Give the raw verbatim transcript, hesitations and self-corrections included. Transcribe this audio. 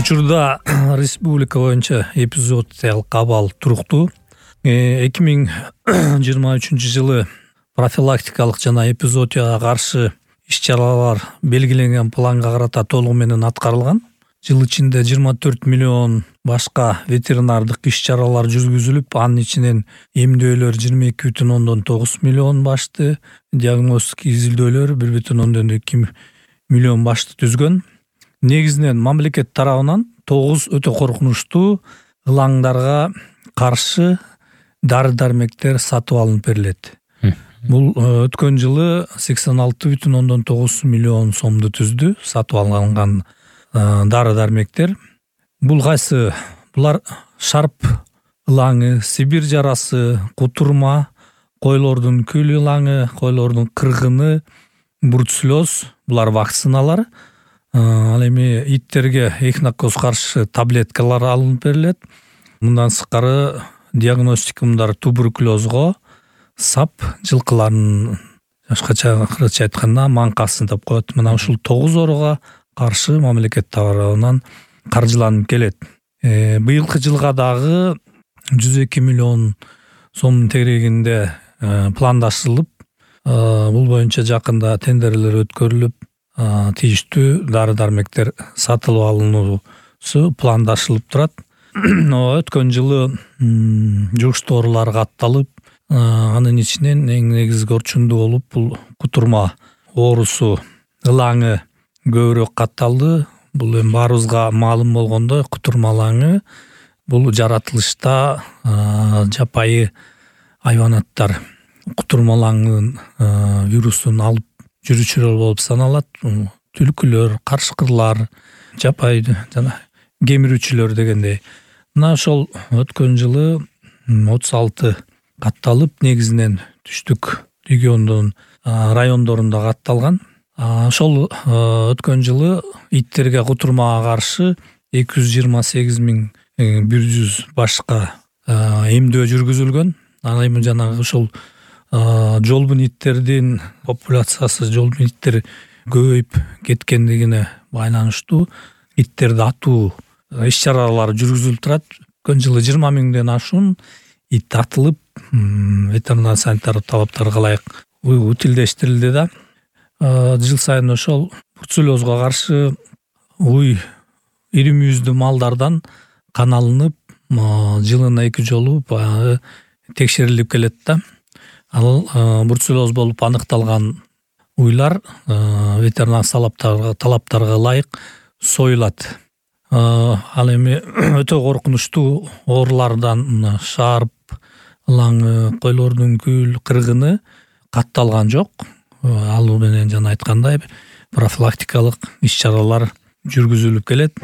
Учурда республика боюнча эпизоотиялык абал туруктуу. эки миң жыйырма үчүнчү жылы профилактикалык жана эпизоотияга каршы иш-чаралар белгиленген планга карата толугу менен аткарылган. Жыл ичинде жыйырма төрт миллион башка ветеринардык иш-чаралар жүргүзүлүп, анын ичинен эмдөөлөр жыйырма эки бүтүн ондон тогуз миллион башты, диагностика изилдөөлөр бир бүтүн ондон эки миллион башты түзгөн. Негизинен мамлекет тарабынан тогуз өтө коркунучтуу ылаңдарга каршы дары-дармектер сатып алынып берилет. Бул өткөн жылы сексен алты бүтүн ондон тогуз миллион сомду түздү сатып алынган дары-дармектер. Бул кайсы? Булар шарп ылаңы, Сибирь жарасы, кутурма, койлордун күл ылаңы, койлордун кыргыны, бруцеллез, булар вакциналар. Ал эми иттерге эхинококк каршы таблеткалар алынып берилет. Мындан сырткары диагностика мындар туберкулезго, сап, жылкылардын башкача кыргызча айтканда маңкасын деп коет. Мына ушул тогуз оорууга каршы мамлекет тарабынан каржыланып келет. Э, быйылкы жылга дагы жүз эки миллион сомдун тегерегинде пландаштырылып, бул боюнча жакында тендерлер өткөрүлүп, тийиштүү дары-дармектер сатылып алынуусу пландаштырылып турат. Өткөн жылы жугуштуу оорулар катталып, анын ичинен эң негизги орчундуу болуп бул кутурма оорусу ылаңы көбүрөөк катталды. Бул эми баарыбызга маалым болгондой, кутурма ылаңы бул жаратылышта жапайы хайванаттар кутурма ылаңынын вирусун алып жүрүүчүлөр болуп саналат. Түлкүлөр, карышкырлар, жапайы жана кемирүүчүлөр дегендей. Мына ошол өткөн жылы отуз алты катталып, негизинен түштүк региондун райондорунда катталган. Ошол өткөн жылы иттерге кутурмага каршы эки жүз жыйырма сегиз миң бир жүз башка эмдөө жүргүзүлгөн. Ал эми жанагы ушул жолбун иттердин популяциясы, жолбун иттер көбөйүп кеткендигине байланыштуу иттерди атуу иш-чаралар жүргүзүлүп турат. Өткөн жылы жыйырма миңден ашуун ит атылып, ветеринар санитардык талаптарга ылайык утилдештирилди да. Жыл сайын ошол бруцеллезго каршы уй ири мүйүздүү малдардан кан алынып, жылына эки жолу баягы текшерилип келет да. Ал бруцеллез болуп аныкталган уйлар ветеринар талаптарга ылайык союлат. Ал эми өтө коркунучтуу оорулардан шарп ылаңы, койлордун күл, кыргыны катталган жок. Ал менен жана айткандай профилактикалык иш-чаралар жүргүзүлүп келет.